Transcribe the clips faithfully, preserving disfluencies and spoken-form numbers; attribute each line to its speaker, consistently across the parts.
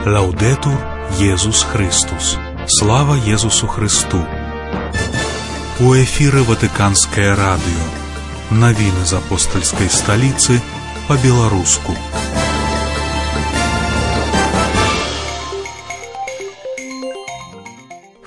Speaker 1: Лаўдэтур Езус Христус. Слава Езусу Христу. У эфіры Ватыканскае радыё. Навіны з апостальскай сталіцы па-беларуску.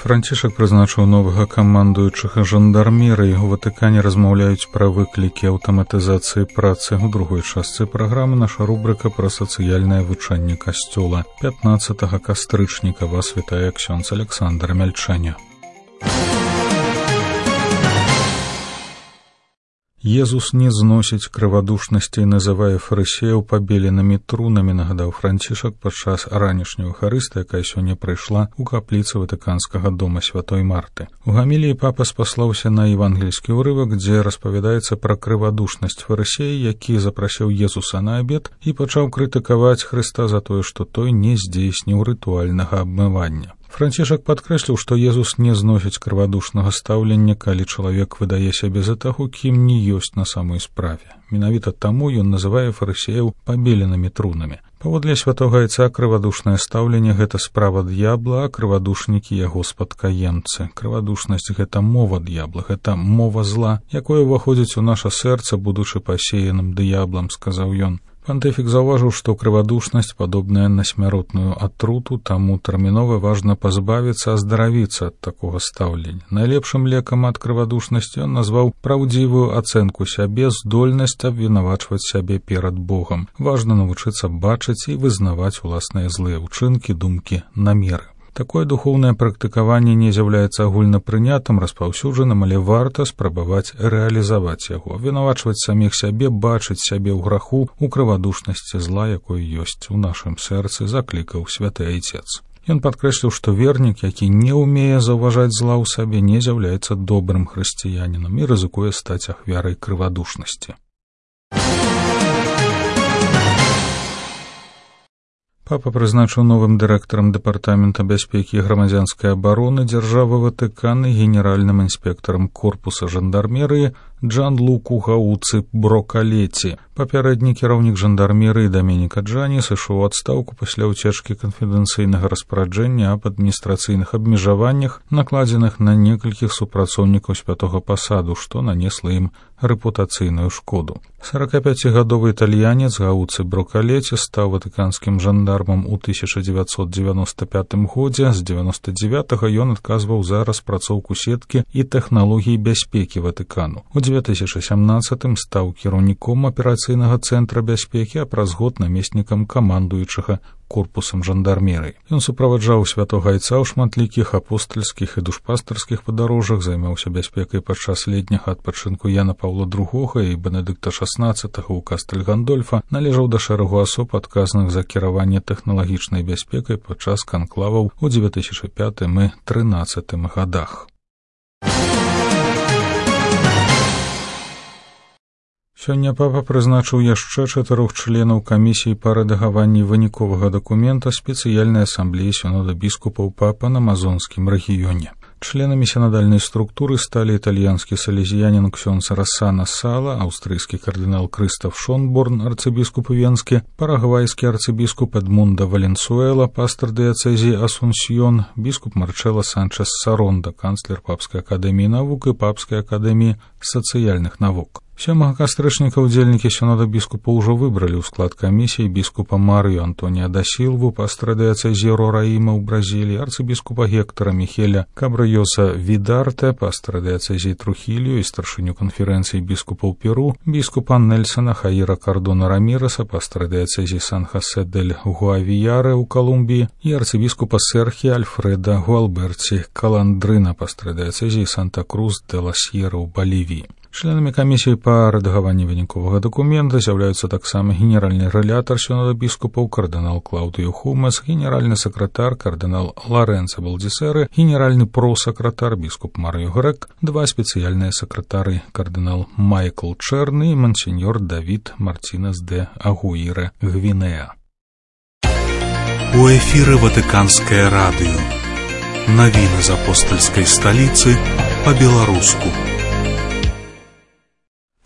Speaker 1: Францішак прызначыў новага камандуючага жандармерыі. У Ватыкане размаўляюць пра выклікі аўтаматызацыі працы. У другой частцы праграмы наша рубрыка пра сацыяльнае вучэнне касцёла. пятнаццатага кастрычніка вас вітае ксёндз Александр Мяльчаня. Езус не зносіць крывадушнасці і называе фарысеяў пабеленымі трунамі, нагадаў Францішак падчас ранішняй эўхарыстыі, якая сёння прыйшла ў капліцы Ватыканскага дома святой Марты. У гаміліі папа спаслаўся на евангельскі ўрывак, дзе распавядаецца пра крывадушнасць фарысея, які запрасіў Езуса на абед і пачаў крытыкаваць Хрыста за тое, што той не здзейсніў рытуальнага абмывання. Францішак падкрэсліў, што Езус не зносіць крывадушнага стаўлення, калі чалавек выдае сябе за таго, кім не ёсць на самой справе. Менавіта таму ён называе фарысеяў пабеленымі трунамі. Паводле святога Айца крывадушнае стаўленне — гэта справа д'ябла, а крывадушнікі — яго спадкаемцы. Крывадушнасць — гэта мова д'ябла, гэта мова зла, якое ўваходзіць у наша сэрца, будучы пасеяным д'яблам, сказаў ён. Пантыфік заўважыў, што крывадушнасць падобная на смяротную атруту, таму тэрмінова важна пазбавіцца, аздаравіцца ад такога стаўлення. Найлепшым лекам ад крывадушнасці ён назваў праўдзівую ацэнку сябе, здольнасць абвінавачваць сябе перад Богам. Важна навучыцца бачыць і вызнаваць уласныя злыя ўчынкі, думкі, намеры. Такое духоўнае практыкаванне не з'яўляецца агульнапрынятым, распаўсюджаным, але варта спрабаваць рэалізаваць яго, вінавачваць саміх сябе, бачыць сябе ў граху, у крывадушнасці зла, якой ёсць у нашым сэрцы, заклікаў святы Айцец. Ён падкрэсліў, што вернік, які не ўмее заўважаць зла ў сабе, не з'яўляецца добрым хрысціянінам і рызыкуе стаць ахвярай крывадушнасці. Папа прызначыў новым дырэктарам дэпартамента бяспекі і грамадзянскай абароны дзяржавы Ватыкана і генеральным інспектарам корпуса жандармерыі Джанлуку Гауцы Брокалеці. Папярэдні кіраўнік жандармерыі Даменіка Джані сышоў у адстаўку пасля ўцечкі канфідэнцыйнага распараджэння аб адміністрацыйных абмежаваннях, накладзеных на некалькіх супрацоўнікаў святога пасаду, што нанесла ім рэпутацыйную шкоду. сорокапяцігадовы італьянец Гауцы Брокалеці стаў ватыканскім жандармам у тысяча дзевяцьсот дзевяноста пятым годзе. З дзевяноста дзевятага ён адказваў за распрацоўку сеткі і тэхналогій бяспекі Ватыкану. У две тысячи сямнаццатым стаў кіраўніком аперацыйнага цэнтра бяспекі, а праз год намеснікам камандуючага корпусам жандармерыі. Ён суправаджаў святога Айца ў шматлікіх апостальскіх і душпастарскіх падарожжах, займаўся бяспекай падчас летняга адпачынку Яна Паўла другога і Бенедыкта шаснаццатага ў Кастэль Гандольфа, належаў да шэрагу асоб, адказных за кіраванне тэхналагічнай бяспекай падчас канклаваў у две тысячи пятым і трынаццатым гадах. Сёння папа прызначыў яшчэ чатырох членаў камісіі па рэдагаванні выніковага дакумента спецыяльнай асамблеі сінода біскупаў папа на амазонскім рэгіёне. Членамі сінадальнай структуры сталі італьянскі салезіянін ксёндз Рассана Сала, аўстрыйскі кардынал Крыстаф Шонборн, арцыбіскуп Венскі, парагвайскі арцыбіскуп Эдмундо Валенсуэла, пастор дыяцэзіі Асунсьон, біскуп Марчело Санчес Саронда, канцлер Папскай акадэміі навук і Папскай акадэміі сацыяльных навук. Сёмага кастрычніка ўдзельнікі сінода біскупа ўжо выбралі ў склад камісіі біскупа Марыю Антонія да Сілву, пастора дыяцэзіі Рораіма ў Бразіліі, арцыбіскупа Гектора Михеля Кабрыёса Видарте, пастора дыяцэзіі Трухілью і старшыню канферэнцыі біскупаў Перу, біскупа Нельсона Хаіра Кардона Раміреса, пастора дыяцэзіі Сан-Хосе дель Гуавіяре ў Калумбіі і арцыбіскупа Серхі Альфреда Гуалберці Каландрына, пастора дыяцэзіі Санта-Крус де ла Сьерра ў Балівіі. Членамі камісіі па рэдагаванні выніковага дакумента з'яўляюцца таксама генеральны рэлятар сінода біскупаў кардынал Клаўдыё Хумес, генеральны сакратар кардынал Лоренцо Балдзісэры, генеральны просакратар біскуп Марыё Грэк, два спецыяльныя сакратары кардынал Майкл Чэрны і мансеньор Давід Мартінес де Агуірэ Гвінеа. У эфіры Ватыканскае радыё. Навіны з апостальскай сталіцы па-беларуску.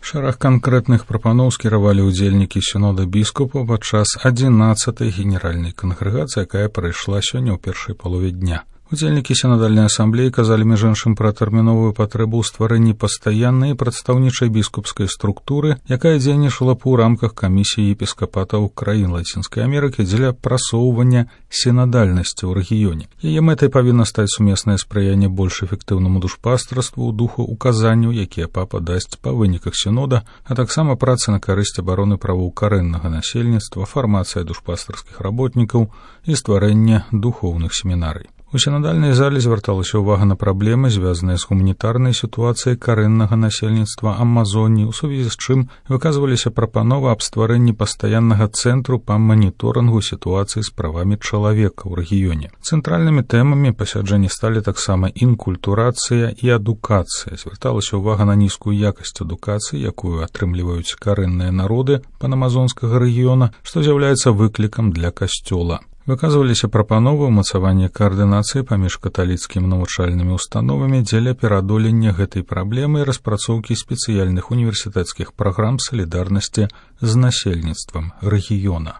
Speaker 1: Шэраг канкрэтных прапаноў скіравалі ўдзельнікі сінода біскупаў падчас адзінаццатай генеральнай кангрэгацыі, якая прайшла сёння ў першай палове дня. Удзельнікі сінодальнай асамблеі казалі між іншым пра тэрміновую патрэбу ў стварэнні пастаяннай прадстаўнічай біскупскай структуры, якая дзейнічала б у рамках камісіі епіскапатаў краін Лацінскай Амерыкі дзеля прасоўвання сінадальнасці ў рэгіёне. Яе мэтай павінна стаць сумеснае спрыянне больш эфектыўнаму душпастарству ў духу указанняў, якія папа дасць па выніках сінода, а таксама праца на карысць абароны правоў карэннага насельніцтва, фармацыя душпастарскіх работнікаў і стварэнне духоўных семінарый. У сінадальнай зале звярталася ўвага на праблемы, звязаныя з гуманітарнай сітуацыяй карэннага насельніцтва Амазоніі, у сувязі з чым выказваліся прапановы аб стварэнні пастаяннага цэнтру па маніторынгу сітуацыі з правамі чалавека ў рэгіёне. Цэнтральнымі тэмамі пасяджэння сталі таксама інкультурацыя і адукацыя. Звярталася ўвага на нізкую якасць адукацыі, якую атрымліваюць карэнныя народы панамазонскага рэгіёна, што з'яўляецца выклікам для касцёла. Выказваліся прапановы ўмацавання каардынацыі паміж каталіцкімі навучальнымі установамі дзеля пераадолення гэтай праблемы і распрацоўкі спецыяльных універсітэцкіх праграм салідарнасці з насельніцтвам рэгіёна.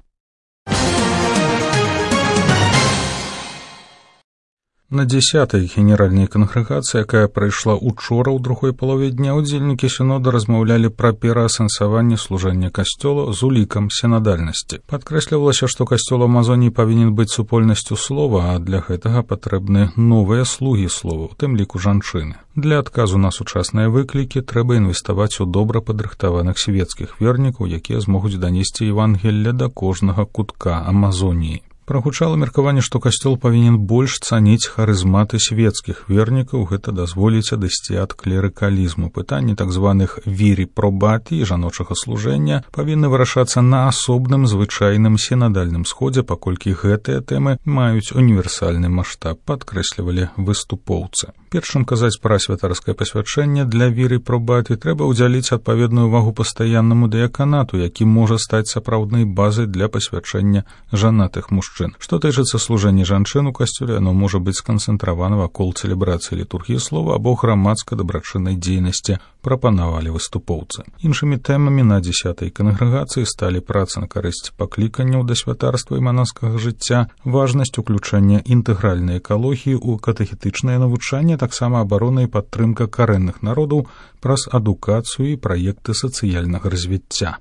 Speaker 1: На дзесятай генеральнай кангрэгацыі, якая прайшла учора ў другой палове дня, удзельнікі сінода размаўлялі пра пераасэнсаванне служэння касцёла з улікам сінадальнасці. Падкрэслівалася, што касцёл Амазоніі павінен быць супольнасцю слова, а для гэтага патрэбны новыя слугі слова, у тым ліку жанчыны. Для адказу на сучасныя выклікі трэба інвеставаць у добра падрыхтаваных свецкіх вернікаў, якія змогуць данесці Евангелле да кожнага кутка Амазоніі. Прагучала меркаванне, што касцёл павінен больш цаніць харызматы свецкіх вернікаў, гэта дазволіць адысці ад клерыкалізму. Пытанні так званых вірі пробаті і жаночага служэння павінны вырашацца на асобным звычайным сінадальным сходзе, паколькі гэтыя тэмы маюць універсальны маштаб, падкрэслівалі выступоўцы. Першым казаць пра святарскае пасвячэнне для віры пробаті трэба ўдзяліць адпаведную ўвагу пастаяннаму дыяканату, які можа стаць сапраўднай базай для пасвячэння жанатых мужчын. Што тычыцца служэння жанчын у касцёле, оно можа быць сканцэнтравана вакол цэлебрацыі літургіі слова або грамадска-дабрачыннай дзейнасці, прапанавалі выступоўцы. Іншымі тэмамі на дзесятай кангрэгацыі сталі праца на карысць пакліканняў да святарства і манаскага жыцця, важнасць уключэння інтэгральнай экалогіі ў катэхетычнае навучанне, таксама абарона і падтрымка карэнных народаў праз адукацыю і праекты сацыяльнага развіцця.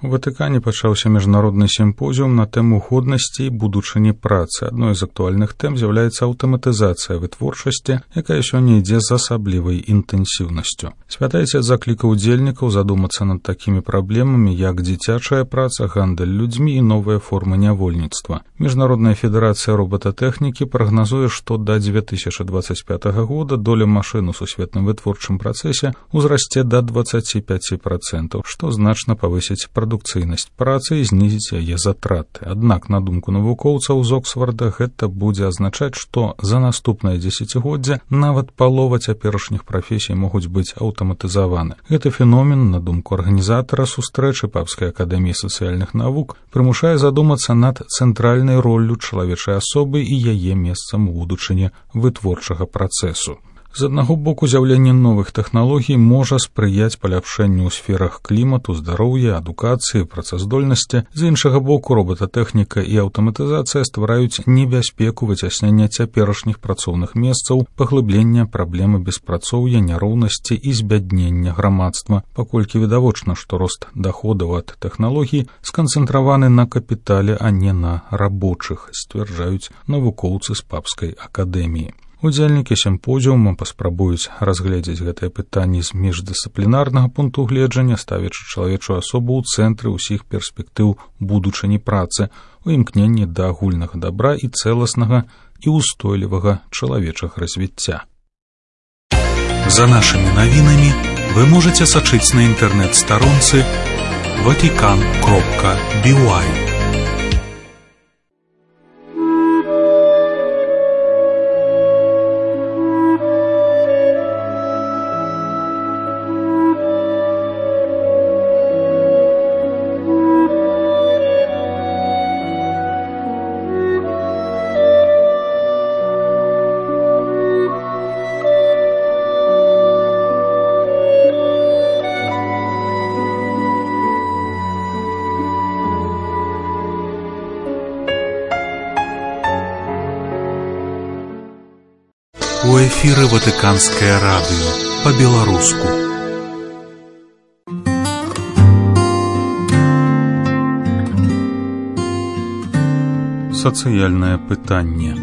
Speaker 1: У Ватыкане пачаўся міжнародны сімпозіум на тэму годнасці і будучыні працы. Адной з актуальных тэм з'яўляецца аўтаматызацыя вытворчасці, якая сёння ідзе з асаблівай інтэнсіўнасцю. Святы Ацец заклікаў удзельнікаў задумацца над такімі праблемамі, як дзіцячая праца, гандаль людзьмі і новыя формы нявольніцтва. Міжнародная федэрацыя робататэхнікі прагназуе, што да дзве тысячы дваццаць пятага года доля машын у сусветным вытворчым працэсе ўзрасце да дваццаць пяць працэнтаў, што значна павысіць прадукцыйнасць працы і знізіць яе затраты. Аднак, на думку навукоўцаў з Оксфорда, гэта будзе азначаць, што за наступнае дзесяцігоддзе нават палова цяперашніх прафесій могуць быць аўтаматызаваны. Гэты феномен, на думку арганізатара сустрэчы Папскай акадэміі сацыяльных навук, прымушае задумацца над цэнтральнай роллю чалавечай асобы і яе месцам у будучыні вытворчага працэсу. З аднаго боку, з'яўленне новых тэхналогій можа спрыяць паляпшэнню ў сферах клімату, здароўя, адукацыі, працаздольнасці. З іншага боку, робататэхніка і аўтаматызацыя ствараюць небяспеку выцяснення цяперашніх працоўных месцаў, паглыблення праблемы беспрацоўя, няроўнасці і збяднення грамадства, паколькі відавочна, што рост даходаў ад тэхналогій сканцэнтраваны на капітале, а не на рабочых, сцвярджаюць навукоўцы з Папскай акадэміі. Удзельнікі сімпозіума паспрабуюць разгледзець гэтае пытанне з міждысцыплінарнага пункту гледжання, ставячы чалавечую асобу ў цэнтры ўсіх перспектыў будучыні працы, у імкненні да агульнага дабра і цэласнага і ўстойлівага чалавечага развіцця.
Speaker 2: За нашымі навінамі вы можаце сачыць на інтэрнэт-старонцы ватикан кропка би уай. эфіры Ватыканскае радыё па-беларуску.
Speaker 1: Сацыяльнае пытанне.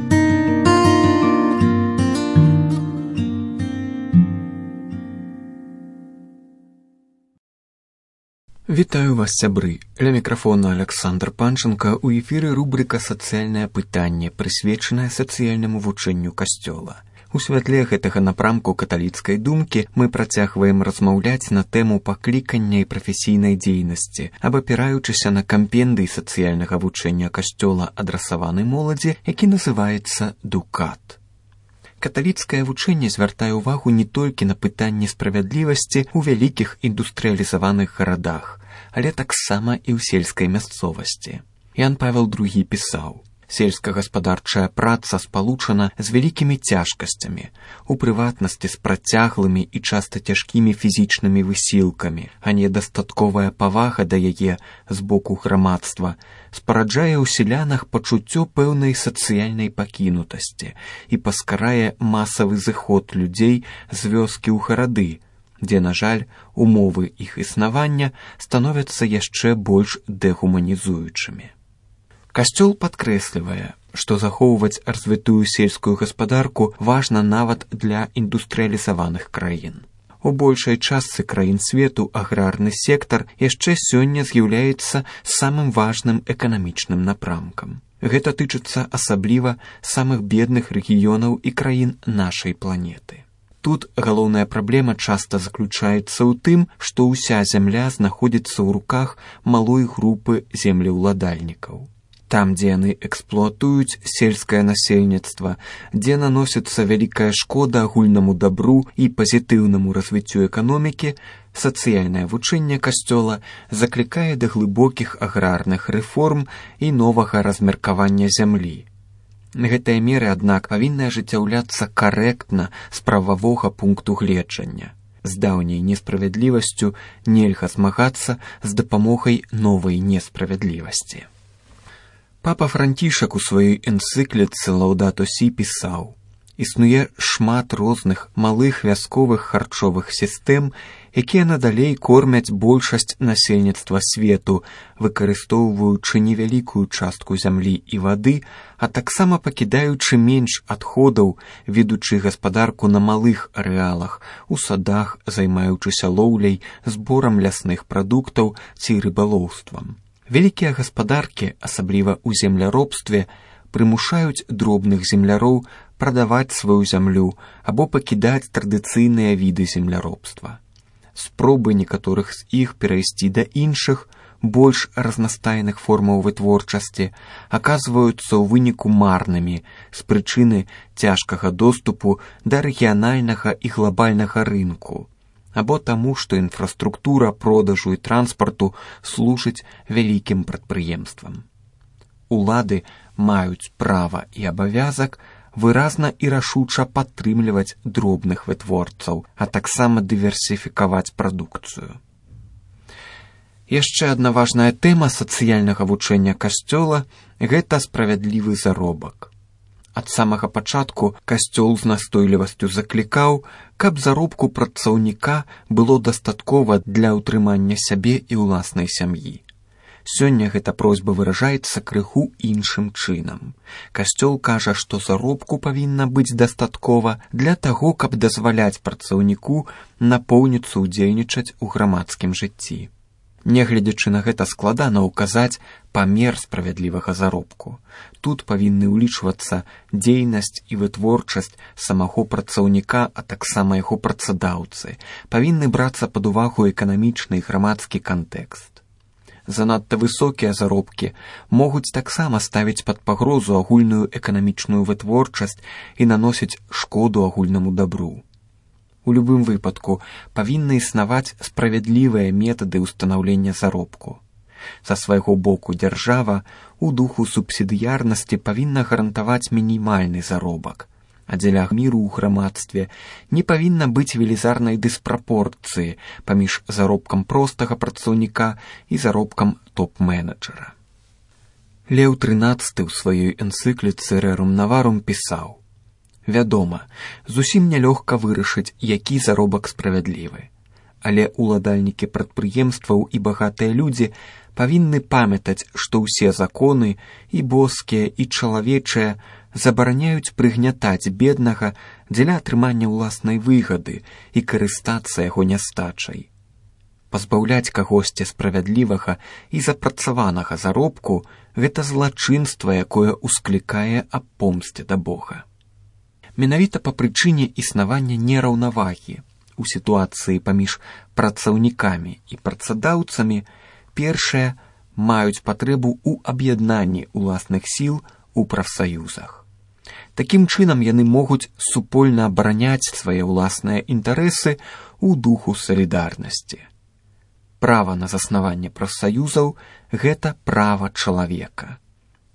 Speaker 3: Вітаю вас, сябры. Ля мікрафона Александр Панченко. У эфіры рубрика «Сацыяльнае пытанне», прысвечаная сацыяльнаму вучэнню Касцёла. У святле гэтага напрамку каталіцкай думкі мы працягваем размаўляць на тэму паклікання і прафесійнай дзейнасці, абапіраючыся на кампендый сацыяльнага вучэння Касцёла, адрасаваны моладзі, які называецца «Дукат». Каталіцкае вучэнне звяртае ўвагу не толькі на пытанне справядлівасці ў вялікіх індустрыялізаваных гарадах, але таксама і ў сельскай мясцовасці. Ян Павел другі пісаў: «Сельскагаспадарчая праца спалучана з вялікімі цяжкасцямі, у прыватнасці з працяглымі і часта цяжкімі фізічнымі высілкамі, а недастатковая павага да яе з боку грамадства спараджае ў селянах пачуццё пэўнай сацыяльнай пакінутасці і паскарае масавы зыход людзей з вёскі ў гарады, дзе, на жаль, умовы іх існавання становяцца яшчэ больш дэгуманізуючымі». Касцёл падкрэслівае, што захоўваць развітую сельскую гаспадарку важна нават для індустрыялізаваных краін. У большай частцы краін свету аграрны сектар яшчэ сёння з'яўляецца самым важным эканамічным напрамкам. Гэта тычыцца асабліва самых бедных рэгіёнаў і краін нашай планеты. Тут галоўная праблема часта заключаецца ў тым, што ўся зямля знаходзіцца ў руках малой групы землеўладальнікаў. Там, дзе яны эксплуатуюць сельскае насельніцтва, дзе наносіцца вялікая шкода агульнаму дабру і пазітыўнаму развіццю эканомікі, сацыяльнае вучэнне Касцёла заклікае да глыбокіх аграрных рэформ і новага размеркавання зямлі. Гэтыя меры, аднак, павінны ажыццяўляцца карэктна з прававога пункту гледжання. З даўняй несправядлівасцю нельга змагацца з дапамогай новай несправядлівасці. Папа Францішак у сваёй энцыкліцы «Лаўдато Сі» пісаў: «Існуе шмат розных малых вясковых харчовых сістэм, якія надалей кормяць большасць насельніцтва свету, выкарыстоўваючы невялікую частку зямлі і вады, а таксама пакідаючы менш адходаў, ведучы гаспадарку на малых арэалах, у садах, займаючыся лоўляй, зборам лясных прадуктаў ці рыбалоўствам. Вялікія гаспадаркі, асабліва ў земляробстве, прымушаюць дробных земляроў прадаваць сваю зямлю або пакідаць традыцыйныя віды земляробства. Спробы некаторых з іх перайсці да іншых, больш разнастайных формаў вытворчасці, аказваюцца ў выніку марнымі з прычыны цяжкага доступу да рэгіянальнага і глабальнага рынку, або таму, што інфраструктура продажу і транспарту служыць вялікім прадпрыемствам. Улады маюць права і абавязак выразна і рашуча падтрымліваць дробных вытворцаў, а таксама дыверсіфікаваць прадукцыю. Яшчэ адна важная тэма сацыяльнага вучэння Касцёла – гэта справядлівы заробак. Ад самага пачатку Касцёл з настойлівасцю заклікаў, каб заробку працаўніка было дастаткова для ўтрымання сябе і ўласнай сям'і. Сёння гэта просьба выражаецца крыху іншым чынам. Касцёл кажа, што заробку павінна быць дастаткова для таго, каб дазваляць працаўніку напоўніцца ўдзельнічаць у грамадскім жыцці. Нягледзячы на гэта складана ўказаць памер справядлівага заробку. Тут павінны ўлічвацца дзейнасць і вытворчасць самого працаўніка, а таксама яго працадаўцы. Павінны брацца пад увагу эканамічны і грамадскі кантэкст. Занадта высокія заробкі могуць таксама ставіць пад пагрозу агульную эканамічную вытворчасць і наносіць шкоду агульнаму дабру. У любым выпадку павінны існаваць справядлівыя метады ўстанаўлення заробку. Са свайго боку дзяржава у духу субсідыярнасці павінна гарантаваць мінімальны заробак, а дзеля міру ў грамадстве не павінна быць велізарнай дыспрапорцыі паміж заробкам простага працаўніка і заробкам топ-менеджера. Леў трынаццаты ў сваёй энцыкліцы «Рерум Наварум» пісаў: Вядома, зусім нялёгка вырашыць, які заробак справядлівы. Але уладальнікі прадпрыемстваў і багатыя людзі павінны памятаць, што ўсе законы, і боскія, і чалавечыя, забараняюць прыгнятаць беднага дзеля атрымання ўласнай выгады і карыстацца яго нястачай. Пазбаўляць кагосьці справядлівага і запрацаванага заробку – гэта злачынства, якое усклікае аб помсце да Бога. Менавіта па прычыне існавання нераўнавагі у сітуацыі паміж працаўнікамі і працадаўцамі першыя маюць патрэбу ў аб'яднанні ўласных сіл у прафсаюзах. Такім чынам яны могуць супольна абараняць свае ўласныя інтарэсы ў духу салідарнасці. Права на заснаванне прафсаюзаў – гэта права чалавека.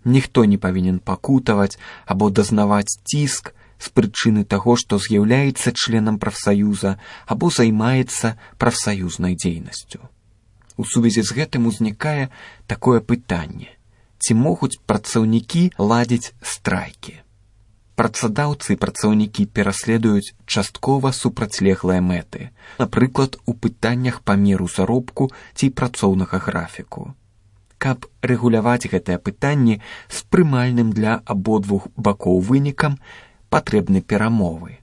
Speaker 3: Ніхто не павінен пакутаваць або дазнаваць ціск з прычыны таго, што з'яўляецца членам прафсаюза або займаецца прафсаюзнай дзейнасцю. У сувязі з гэтым узнікае такое пытанне: ці могуць працаўнікі ладзіць страйкі? Працадаўцы і працаўнікі пераследуюць часткова супрацьлеглыя мэты, напрыклад, у пытаннях памеру заробку ці працоўнага графіку. Каб рэгуляваць гэтыя пытанні з прымальным для абодвух бакоў вынікам, патрэбны перамовы.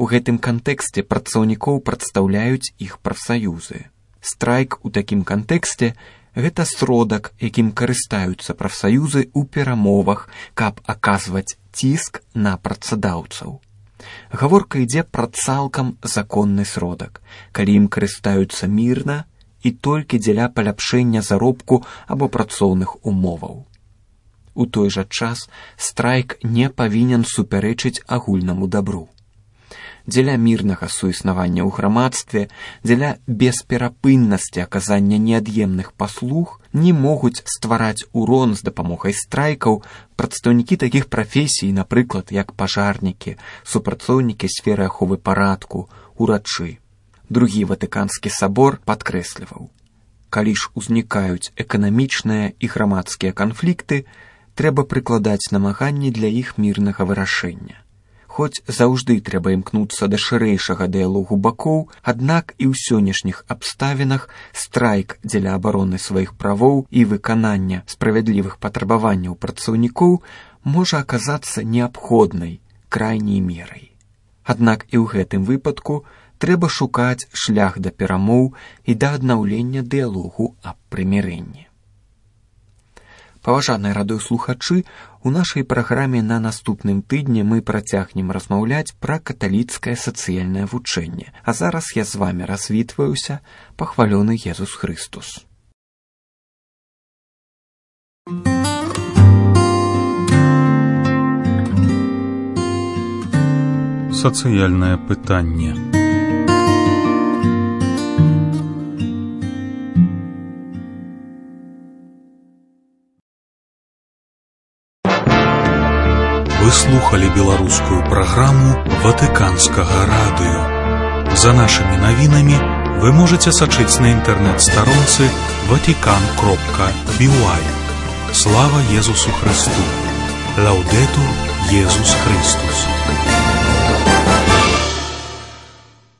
Speaker 3: У гэтым кантэксце працаўнікоў прадстаўляюць іх прафсаюзы. Страйк у такім кантэксце – гэта сродак, якім карыстаюцца прафсаюзы ў перамовах, каб аказваць ціск на працадаўцаў. Гаворка ідзе пра цалкам законны сродак, калі ім карыстаюцца мірна і толькі дзеля паляпшэння заробку або працоўных умоваў. У той жа час страйк не павінен супярэчыць агульнаму дабру. Дзеля мірнага суіснавання ў грамадстве, дзеля бесперапыннасці аказання неад'емных паслуг не могуць ствараць урон з дапамогай страйкаў прадстаўнікі такіх прафесій, напрыклад, як пажарнікі, супрацоўнікі сферы аховы парадку, урачы. Другі Ватыканскі сабор падкрэсліваў: калі ж узнікаюць эканамічныя і грамадскія канфлікты, трэба прыкладаць намаганні для іх мірнага вырашэння. Хоць заўжды трэба імкнуцца да шырэйшага дыялогу бакоў, аднак і ў сённяшніх абставінах страйк дзеля абароны сваіх правоў і выканання справядлівых патрабаванняў працаўнікоў можа аказацца неабходнай крайняй мерай. Аднак і ў гэтым выпадку трэба шукаць шлях да перамоў і да аднаўлення дыялогу аб прымірэнні. Паважаныя радыёслухачы, у нашай праграме на наступным тыдні мы працягнем размаўляць пра каталіцкае сацыяльнае вучэнне. А зараз я з вамі развітваюся. Пахвалёны Езус Хрыстус.
Speaker 1: Сацыяльнае пытанне.
Speaker 2: Вы слухали беларускую праграму Ватыканскага радыё. За нашымі навінамі вы можаце сачыць на інтэрнэт-старонцы ватикан кропка би уай. Слава Езусу Христу! Лаўдэтур Езус Христус!